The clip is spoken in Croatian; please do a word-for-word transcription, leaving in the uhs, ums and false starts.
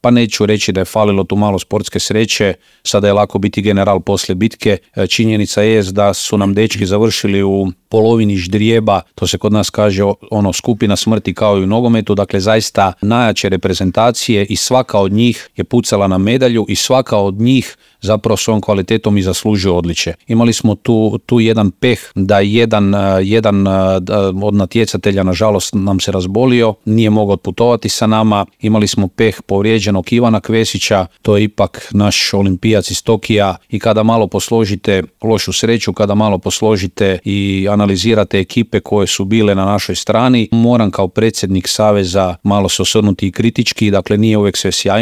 pa neću reći da je falilo tu malo sportske sreće, sada je lako biti general poslije bitke. Činjenica je da su nam dečki završili u polovini ždrijeba, to se kod nas kaže ono skupina smrti kao i u nogometu, dakle zaista najjače reprezentacije i svaka od njih je pucala na medalju i svaka od njih zapravo svojom kvalitetom i zaslužuje odličje. Imali smo tu, tu jedan peh da jedan, jedan od natjecatelja nažalost nam se razbolio, nije mogao otputovati sa nama, imali smo peh povrijeđenog Ivana Kvesića, to je ipak naš olimpijac iz Tokija i kada malo posložite lošu sreću, kada malo posložite i analizirate ekipe koje su bile na našoj strani, moram kao predsjednik saveza malo se osvrnuti i kritički, dakle nije uvijek sve sjajno.